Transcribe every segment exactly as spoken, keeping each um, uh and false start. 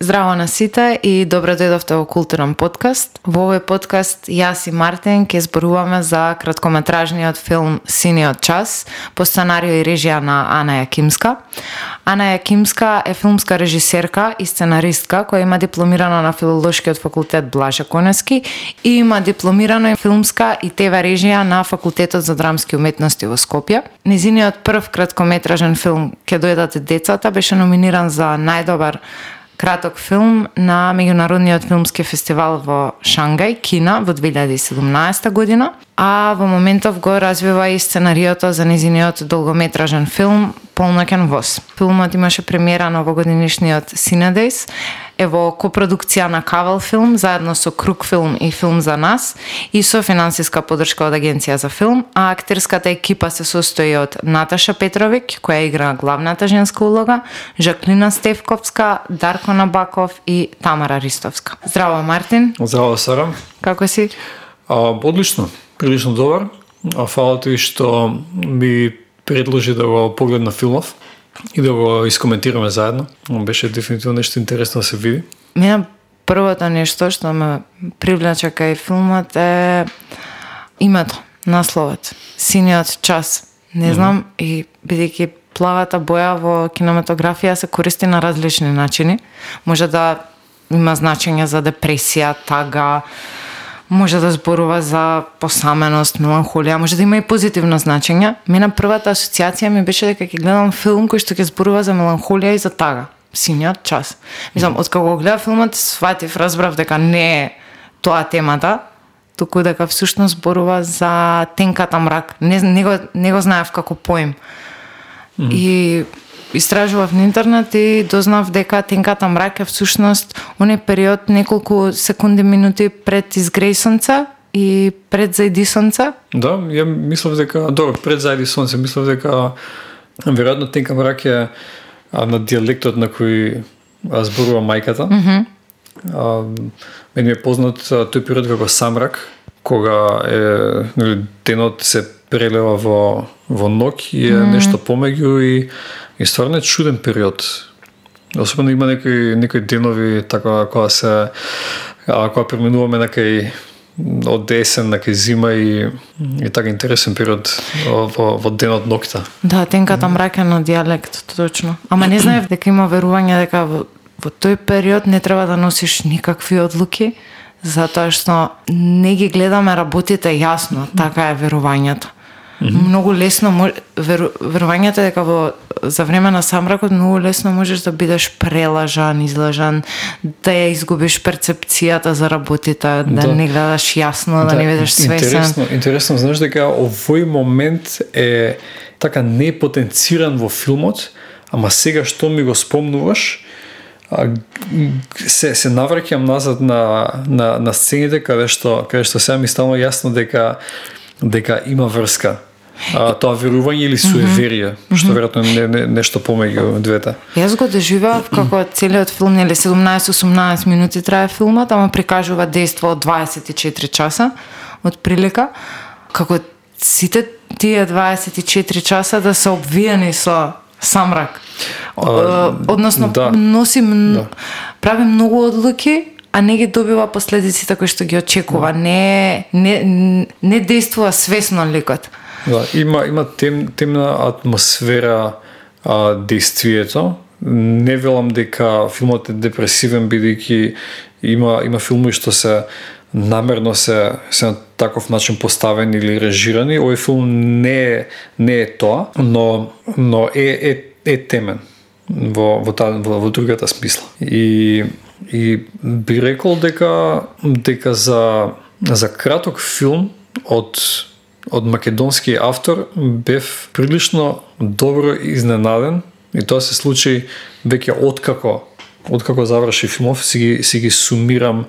Здраво на сите и добро дојдовте во Културен подкаст. Во овој подкаст јас и Мартин ќе зборуваме за краткометражниот филм Синиот час по сценарио и режија на Ана Јакимска. Ана Јакимска е филмска режисерка и сценаристка која има дипломирано на Филолошкиот факултет Блаже Коневски и има дипломирано и филмска и ТВ режија на Факултетот за драмски уметности во Скопје. Незиниот прв краткометражен филм Ке дојдат децата беше номиниран за најдобар краток филм на меѓународниот филмски фестивал во Шангај, Кина, во две илјади и седумнаесета година, а во моментов го развива и сценариото за незиниот долгометражен филм Полноќен воз. Филмот имаше премиера на овогодинишниот Синедејс, е во копродукција на Кавел филм заедно со Круг филм и Филм за нас и со финансиска поддршка од Агенција за филм, а актерската екипа се состои од Наташа Петровиќ, која игра главната женска улога, Жаклина Стефковска, Дарко Набаков и Тамара Ристовска. Здраво, Мартин. Здраво, Сара. Како си? А, одлично, прилично добар. А фала ти што ми предложи да го погледна филмов и да го искоментираме заедно. Беше дефинитивно нешто интересно да се види. Мене првото нешто што ме привлече кај филмот е името, насловот, Синиот час. Не знам, mm-hmm. и бидејќи плавата боја во кинематографија се користи на различни начини. Може да има значење за депресија, тага, може да зборува за посаменост, меланхолија, може да има и позитивно значење. Мене првата асоциација ми беше дека ќе гледам филм кој што ќе зборува за меланхолија и за тага. Синиот час. Мислам, откако го гледав филмот, сватив, разбрав дека не е тоа темата, туку дека всушност зборува за тенката мрак. Не, не, го, не го знаев како поим. Mm-hmm. И истражував на интернет и дознав дека тенката мрак е всушност оној период неколку секунди, минути пред изгреј сонце и пред зајди сонце. Да, ја мислев дека, добро, пред зајди сонце, мислев дека веројатно тенка мрак е на дијалектот на кој зборува мајката. Mm-hmm. А, мене е познат тој период како самрак, кога е, денот се прелева во, во ноќ и е mm. нешто помеѓу и, и стварно е чуден период. Особено има некои, некои денови така кога се а, кога преминуваме на кај од есен на кај зима и, и така интересен период во, во денот ноќта. Да, тенката мрак е на дијалект, точно. Ама не знаев дека има верување дека во, во тој период не треба да носиш никакви одлуки, затоа што не ги гледаме работите јасно, така е верувањето. Mm-hmm. Многу лесно веру, верувањето дека во за време на самракот многу лесно можеш да бидеш прелажан, излажан, да ја изгубиш перцепцијата за работите, да, да не гледаш јасно, да, да не бидеш свесен. Интересно, интересно, знаеш дека овој момент е така не потенциран во филмот, ама сега што ми го спомнуваш, се се навраќам назад на на на сцените каде што каде што сега ми стана јасно дека дека има врска. А, тоа верување или суеверие, mm-hmm. што веројатно не, не нешто помеѓу двете. Јас го доживеав како целиот филм, нели седумнаесет-осумнаесет минути трае филмот, ама прикажува дејство од дваесет и четири часа од прилика, како сите тие дваесет и четири часа да се обвиени со самрак. А, Односно да, носи да. прави многу одлуки, а не ги добива последиците кои што ги очекува. Да. Не не не действува свесно ликот. Да, има има тем, темна атмосфера а, действието. Не велам дека филмот е депресивен бидејќи има има филми што се намерно се се на таков начин поставени или режирани. Овој филм не е не е тоа, но но е е е темен во во таа во, во другата смисла. И и би рекол дека дека за за краток филм од од македонски автор бев прилично добро изненаден и тоа се случи веќе откако откако заврши филмов, си ги си ги сумирам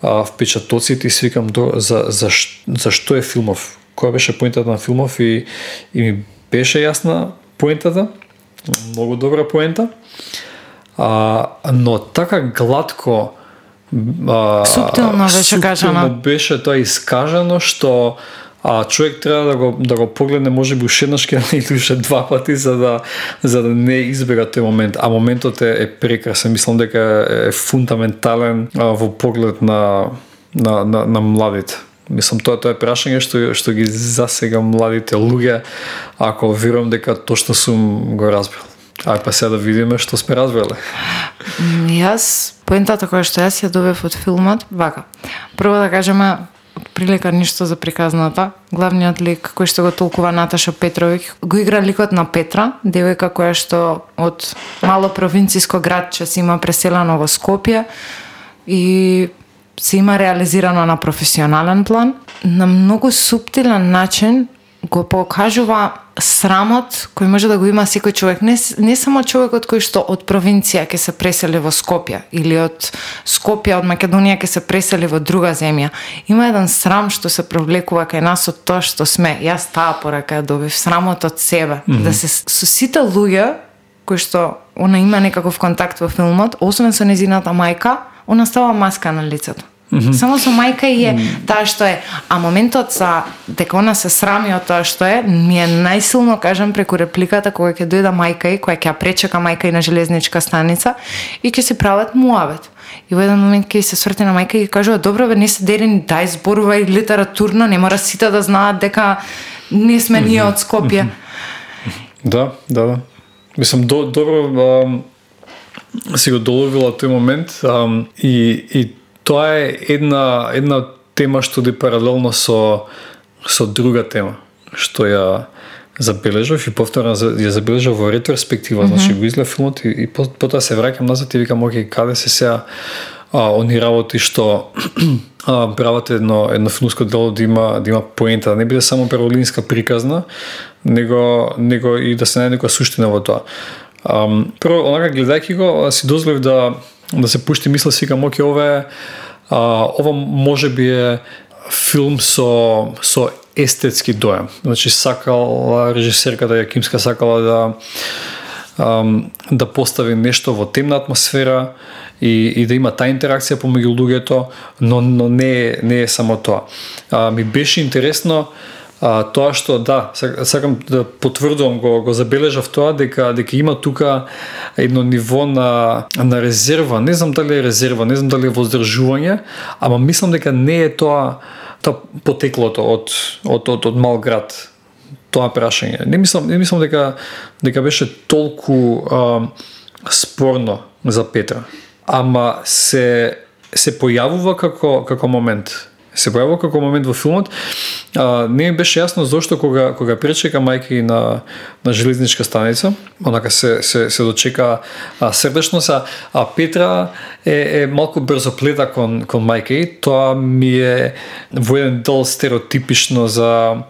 а, впечатоците и си викам до за за за што е филмов, која беше поентата на филмов и и ми беше јасна поентата, многу добра поента. А, но така гладко а, суптилно беше кажано. Беше тоа искажано што а човек треба да го да го погледне можеби уште еднаш или уште два пати за да за да не избега тој момент, а моментот е, е прекрасен. Мислам дека е фундаментален а, во поглед на на на, на младите. Мислам, тоа тоа е прашање што што ги засега младите луѓе, ако верувам дека точно сум го разбрал. Ај па сега да видиме што сме разбрале. Јас, поентата која што јас ја добив од филмот, вака. Прво да кажеме, прилика ништо за приказната. Главниот лик кој што го толкува Наташа Петровиќ, го игра ликот на Петра, девојка која што од мало провинциско градче се има преселено во Скопје и се има реализирано на професионален план. На многу суптилен начин го покажува срамот кој може да го има секој човек. Не, не само човекот кој што од провинција ќе се пресели во Скопје или од Скопје, од Македонија ќе се пресели во друга земја. Има еден срам што се провлекува кај нас од тоа што сме. Јас таа порака ја добив, срамот од себе. Mm-hmm. Да се со сите луѓе кои што она има некаков контакт во филмот, освен со незината мајка, она става маска на лицето. Mm-hmm. Само со мајка и е mm-hmm. таа што е. А моментот за дека она се срами од тоа што е, ми е најсилно, кажам, преку репликата кога ќе дојде мајка и, која ќе ја пречека мајка и на железничка станица и ќе се прават муавет. И во еден момент ќе се сврти на мајка и кажува: добро бе, не се дери, дај зборувај литературно, не мора сите да знаат дека не сме ние од Скопје. Mm-hmm. Да, да, да. Мислам, до, добро а, си го доловила тој момент а, и, и тоа е една една тема што ди паралелно со со друга тема што ја забележав и повторно ја забележав во ретроспектива, mm-hmm. значи го изгледа филмот и, и потоа се враќам назад и викам: окей, каде се сега а, они работи што а, прават едно едно филмско дело да има да има поента, да не биде само прволинска приказна, него него и да се најде некоја суштина во тоа. Um, прво, онака гледајќи го, си дозволив да да се пушти мисла, си викам: окей, ова е а, ова можеби е филм со со естетски дојам. Значи сакала режисерката Јакимска сакала да um, да постави нешто во темна атмосфера и, и да има таа интеракција помеѓу луѓето, но но не не е само тоа. А, ми беше интересно А, тоа што, да, сакам да потврдувам, го, го забележав тоа, дека дека има тука едно ниво на, на резерва, не знам дали е резерва, не знам дали е воздржување, ама мислам дека не е тоа, тоа потеклото од, од, од, од мал град, тоа прашање. Не мислам, не мислам дека, дека беше толку а, спорно за Петра, ама се, се појавува како, како момент. Се појавува како момент во филмот. А, не ми беше јасно зошто кога кога пречека мајка на на железничка станица, онака се се се дочека а, срдечно са, а Петра е е малку брзоплета кон кон мајка. Тоа ми е во еден дел стереотипично за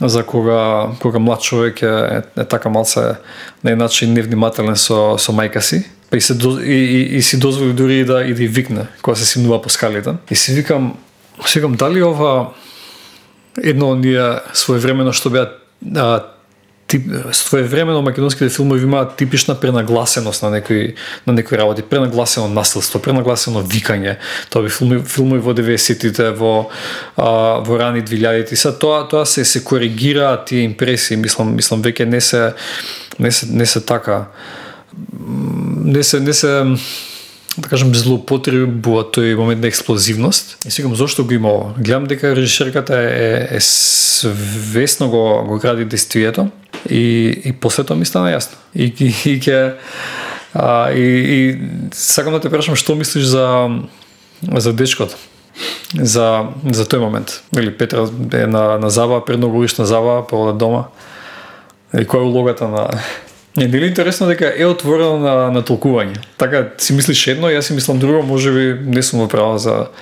за кога кога млад човек е, е, е така малце на еден начин невнимателен со со мајка си. Па и се и, и, и си дозволи дури да и да викне кога се симнува по скалите. И си викам Секам, дали ова едно оние своевремено што беа а, тип, своевремено македонските филмови имаат типична пренагласеност на некои на некои работи, пренагласено насилство, пренагласено викање. Тоа би филми, филмови во деветдесетите, во а, во рани двилјадите. Са тоа тоа се се коригира тие импресии, мислам, мислам веќе не се не се не се така не се не се да кажем злоупотребува тој момент на експлозивност. И сигам зошто го има ова. Гледам дека режисерката е, е свесно го го гради действието и и после тоа ми стана јасно. И и ќе а и, и сакам да те прашам што мислиш за за дечкото. За за тој момент. Или Петра е на на забава, предноголишна забава, па дома. И која е улогата на Не, не е интересно дека е отворено на, на толкување. Така си мислиш едно, јас си мислам друго, можеби не сум права за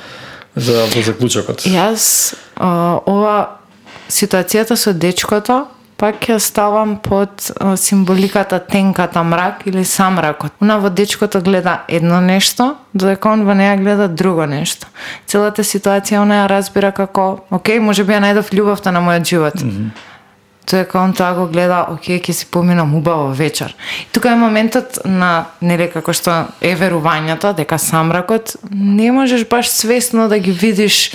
за во заклучокот. Јас а, ова ситуацијата со дечкото пак ја ставам под а, символиката тенката мрак или самракот. Она во дечкото гледа едно нешто, додека он во неја гледа друго нешто. Целата ситуација она ја разбира како, окей, можеби ја најдов љубовта на мојот живот. Mm-hmm. Дека он тоа го гледа, окей, ќе си поминам убаво вечер. И тука е моментот на, нели, како што е верувањето, дека самракот не можеш баш свесно да ги видиш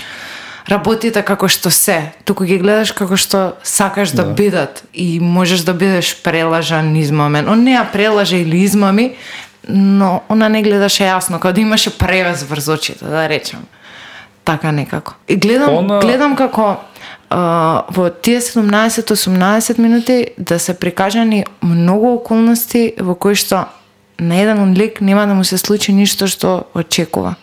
работите како што се, туку ги гледаш како што сакаш да, да бидат и можеш да бидеш прелажан, измамен. Он не ја прелаже или измами, но она не гледаше јасно, како да имаше превес врз очите, да речем. Така некако. И гледам, она... гледам како Uh, во тие седумнаесет осумнаесет минути да се прикажани многу околности во кои што на еден лик нема да му се случи ништо што очекува.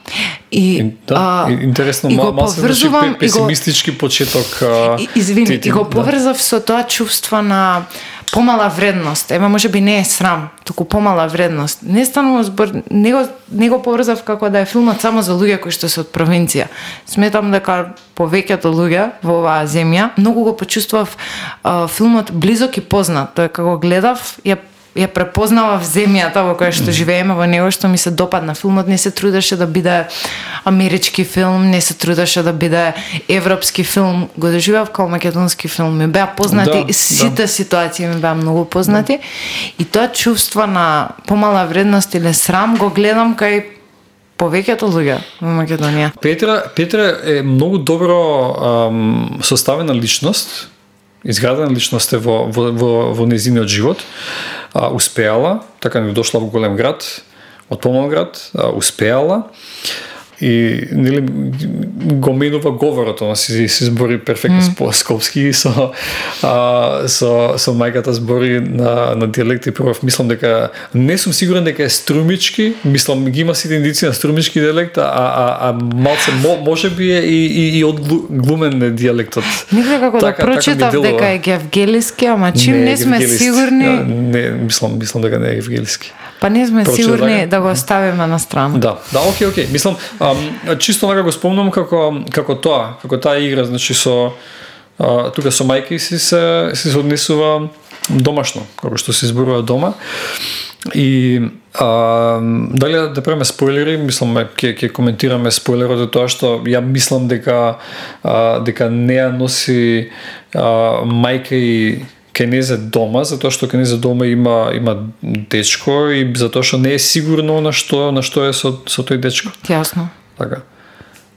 И да, uh, интересно, и мал се значи песимистички го, почеток. Uh, и, извини, ти, ти, и го да. поврзав со тоа чувство на помала вредност. Ева можеби не е срам, туку помала вредност. Не станува збор, не го, не го поврзав како да е филмот само за луѓе кои што се од провинција. Сметам дека повеќето луѓе во оваа земја многу го почувствував а, филмот близок и познат. Тоа како гледав, ја ја препознавав земјата во која што живееме, во него што ми се допадна. Филмот не се трудеше да биде амерички филм, не се трудеше да биде европски филм, го доживав како македонски филм. Ми беа познати, да, сите да. ситуации ми беа многу познати. Да. И тоа чувство на помала вредност или срам го гледам кај повеќето луѓе во Македонија. Петра, Петра е многу добро ам, составена личност, изградена личност е во, во, во, во незиниот живот. А, успеала, така не дошла во голем град, од помал град, а, успеала и нели го менува говорот, она си се збори перфектно mm. скопски со а, со со мајката збори на на дијалект и прв мислам дека не сум сигурен дека е струмички, мислам ги има сите индици на струмички дијалект, а а а малце можеби е и и, и од глумен е дијалектот. Никако како така, да прочитав така дека е гевгелиски, ама чим не, не сме сигурни. Не, мислам мислам дека не е гевгелиски. Па не сме Прочитав сигурни дека да го оставиме на страна. Да, да, окей, окей. Мислам, ам, чисто нека го спомнам како како тоа, како таа игра, значи со а, тука со мајка си се се однесува домашно, како што се зборува дома. И а, дали да правиме спойлери, мислам ќе ќе коментираме спойлерот за тоа што ја мислам дека а, дека не ја носи а, мајка и Кенезе дома, затоа што Кенезе дома има има дечко и затоа што не е сигурно на што на што е со со тој дечко. Јасно. Така.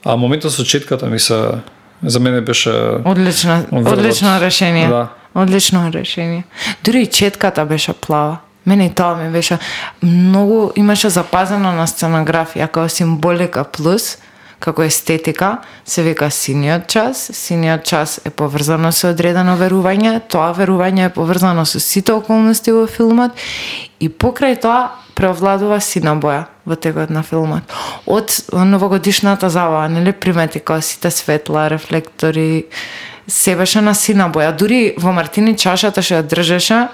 А моментот со четката ми се за мене беше одлично, одлично решение. Да. Одлично решение. Дури и четката беше плава. Мене и тоа ми беше многу имаше запазено на сценографија како символика плюс како естетика, се вика синиот час. Синиот час е поврзано со одредено верување, тоа верување е поврзано со сите околности во филмот и покрај тоа преовладува сина боја во текот на филмот. Од новогодишната забава, нели примети како сите светла, рефлектори, се беше на сина боја. Дури во Мартини чашата што ја држеше,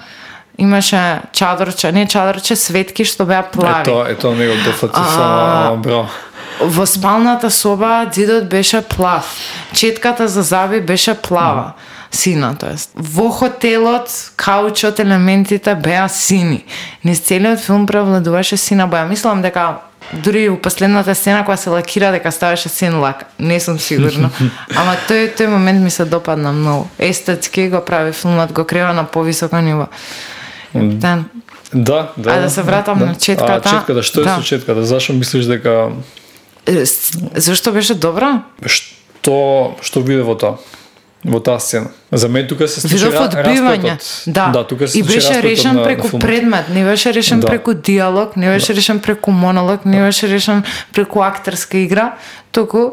имаше чадорче, не чадорче, светки што беа плави. Ето, ето него дофати само браво. Во спалната соба ѕидот беше плав. Четката за заби беше плава. Сина, тоест. Во хотелот, каучот, елементите беа сини. Низ целиот филм превладуваше сина боја. Мислам дека дури у последната сцена кога се лакира дека ставаше син лак. Не сум сигурна. Ама тој тој момент ми се допадна многу. Естетски го прави филмот, го крива на повисоко ниво. Да, да. А да се вратам да. на четката. А четката, што е да. со четката? Зашо мислиш дека Зашто беше добра? Што што виде во тоа? Во таа сцена. За мен тука се случи одбивање. Да. да, тука се и беше решен на, преку на предмет, не беше решен да. преку диалог, не беше да. решен преку монолог, не да. беше решен преку актерска игра, туку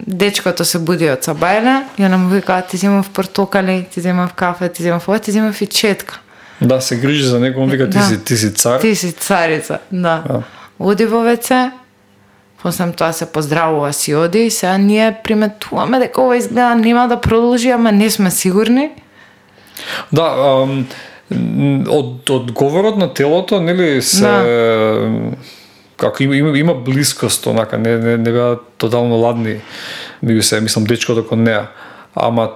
дечкото се буди од сабајле и она му вика, ти земав портокали, ти земав кафе, ти земав ова, ти земав и четка. Да, се грижи за него, он вика, ти, да. си, ти си цар. Ти си царица, да. да. Оди во веце, после тоа се поздравува, си оди и сега ние приметуваме дека ова изгледа нема да продолжи, ама не сме сигурни. Да, ам, од, од говорот на телото, нели се да. како има, има, има блискост, онака, не, не, не беа тотално ладни, меѓу се, мислам, дечкото кон неа. Ама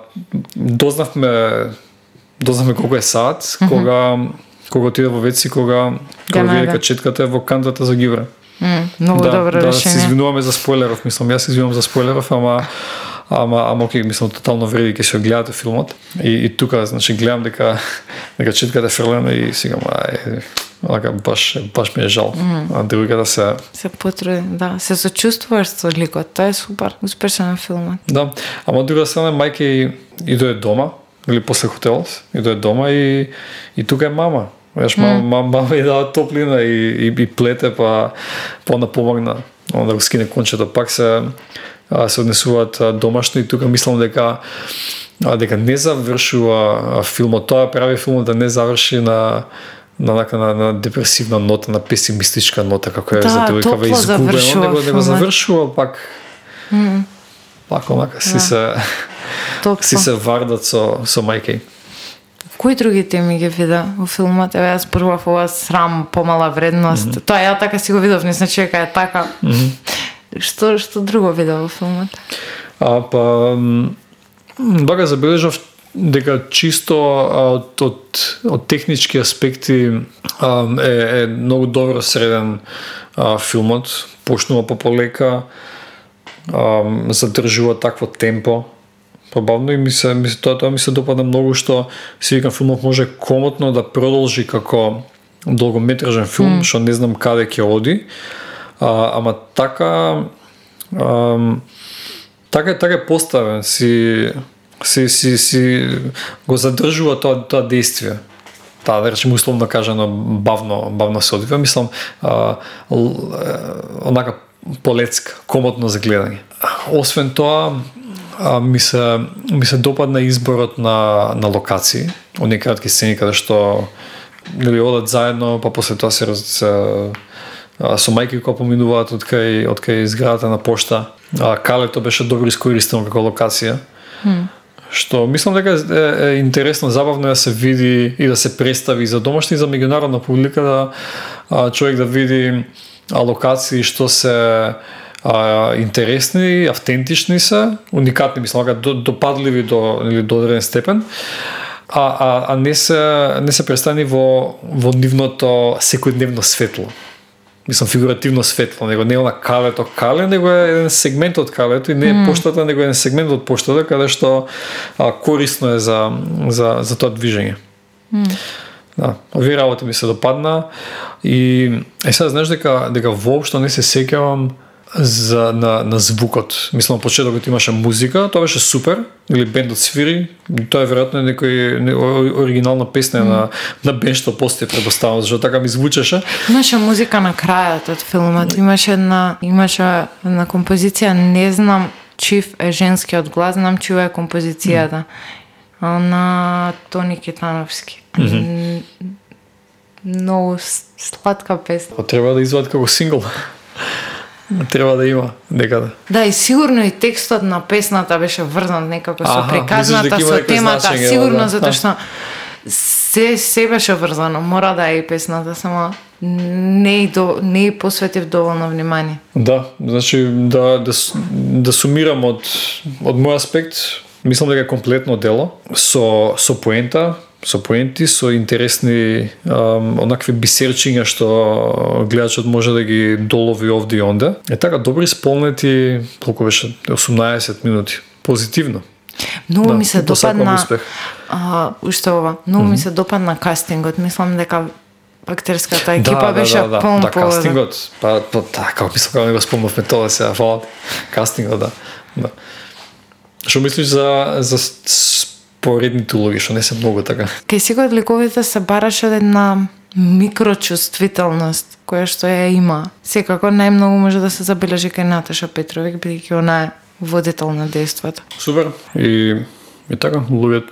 дознавме дознавме колку е саат, mm-hmm. кога кога отиде во веци, кога кога виде дека четката е во кантата за гивре. Mm, многу да, добро да, решение. Да, се извинуваме за спойлеров, мислам, јас се извинувам за спойлеров, ама ама ама окей, мислам тотално вреди ќе се гледате филмот. И, и тука, значи, гледам дека дека четката е фрлена и сега ај Онака баш баш ми е жал. Mm. А другата се се потруди, да, се сочувствуваш со ликот. Тоа е супер, успешен филмот. Да, ама друга страна мајка и и дое дома или после хотелот, и дое дома и и тука е мама. Знаеш, мама, mm. мама, мама и дава топлина и, и, и плете, па, па она помогна. Да го скине кончето, пак се, а, се однесуваат домашно и тука мислам дека а, дека не завршува филмот. Тоа прави филмот да не заврши на на на, на, на депресивна нота, на песимистичка нота, како е да, за девојкава изгубено, него него завршува пак. Mm. Пак онака си да. се Топло. си се вардат со со мајка. Кои други теми ги вида во филмот? Еве јас прва ова срам, помала вредност. Mm -hmm. Тоа ја така си го видов, не значи дека е така. Mm -hmm. Што што друго вида во филмот? А па бага забележав дека чисто од од од технички аспекти а, е е многу добро среден а, филмот, почнува пополека, а, задржува такво темпо. Побавно и ми се, ми се тоа, тоа ми се допадна многу што си викам филмот може комотно да продолжи како долгометражен филм, што mm. не знам каде ќе оди. А, ама така а, така така е поставен, си си си си го задржува тоа тоа действие. Таа да речеме условно кажано бавно бавно се одвива, мислам а, л, онака полецка, комотно за гледање. Освен тоа А, ми се ми се допадна изборот на на локации, оние кратки сцени каде што нели одат заедно, па после тоа се, се а, со мајки кои поминуваат од кај од кај зградата на пошта. А, калето беше добро искористено како локација. Mm. Што мислам дека е, е интересно, забавно да се види и да се представи за домашни и за меѓународна публика, да а, човек да види а, локации што се а, интересни, автентични се, уникатни, мислам, допадливи до или до одреден степен, а, а, а не се не се представени во во нивното секојдневно светло. Мислам фигуративно светло, него не е она калето кале, него е еден сегмент од калето и не е mm. поштата, него е еден сегмент од поштата каде што а, корисно е за за за тоа движење. Mm. Да, овие работи ми се допадна и е сега знаеш дека дека воопшто не се сеќавам за на на звукот. Мислам почетокот имаше музика, тоа беше супер, или бендот свири, тоа е веројатно некој не, оригинална песна mm. на на бенд што постои предпоставам, зашто така ми звучеше. Имаше музика на крајот од филмот, имаше една имаше една композиција, не знам чив е женскиот глас, знам чија е композицијата. Mm. На Тони Китановски. Mm-hmm. Многу сладка песна. Треба да извадат како сингл. Треба да има некаде. Да, и сигурно и текстот на песната беше врзан некако со приказната, со темата, сигурно да, затоа што се се беше врзано, мора да е и песната, само не и до не и посветив доволно внимание. Да, значи да да да сумирам од од мој аспект, мислам дека е комплетно дело со со поента, со поенти, со интересни um, онакви бисерчиња што гледачот може да ги долови овде и онде. Е така добри исполнети, колку беше осумнаесет минути. Позитивно. Многу да, ми се допадна а уште ова. Многу mm-hmm. ми се допадна кастингот. Мислам дека актерската екипа да, беше да, да, полн да, кастингот. Па па така, мислам дека не го спомнавме тоа сега, фала. Кастингот, да. Да. Што мислиш за за поредните улоги, што не се многу така? Кај секој од ликовите се бараше една микрочувствителност која што ја има. Секако најмногу може да се забележи кај Наташа Петровик, бидејќи она е водител на дејството. Супер. И и така, луѓе,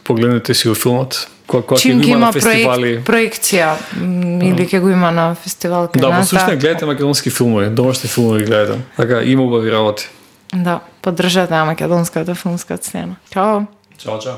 погледнете си го филмот. Кога ќе го има на фестивали, проек, проекција или ќе го има на фестивал кај да, нас. Да, послушајте, гледате македонски филмови, домашни филмови гледате. Така има убави работи. Да, поддржате македонската филмска сцена. Чао. Чао, чао.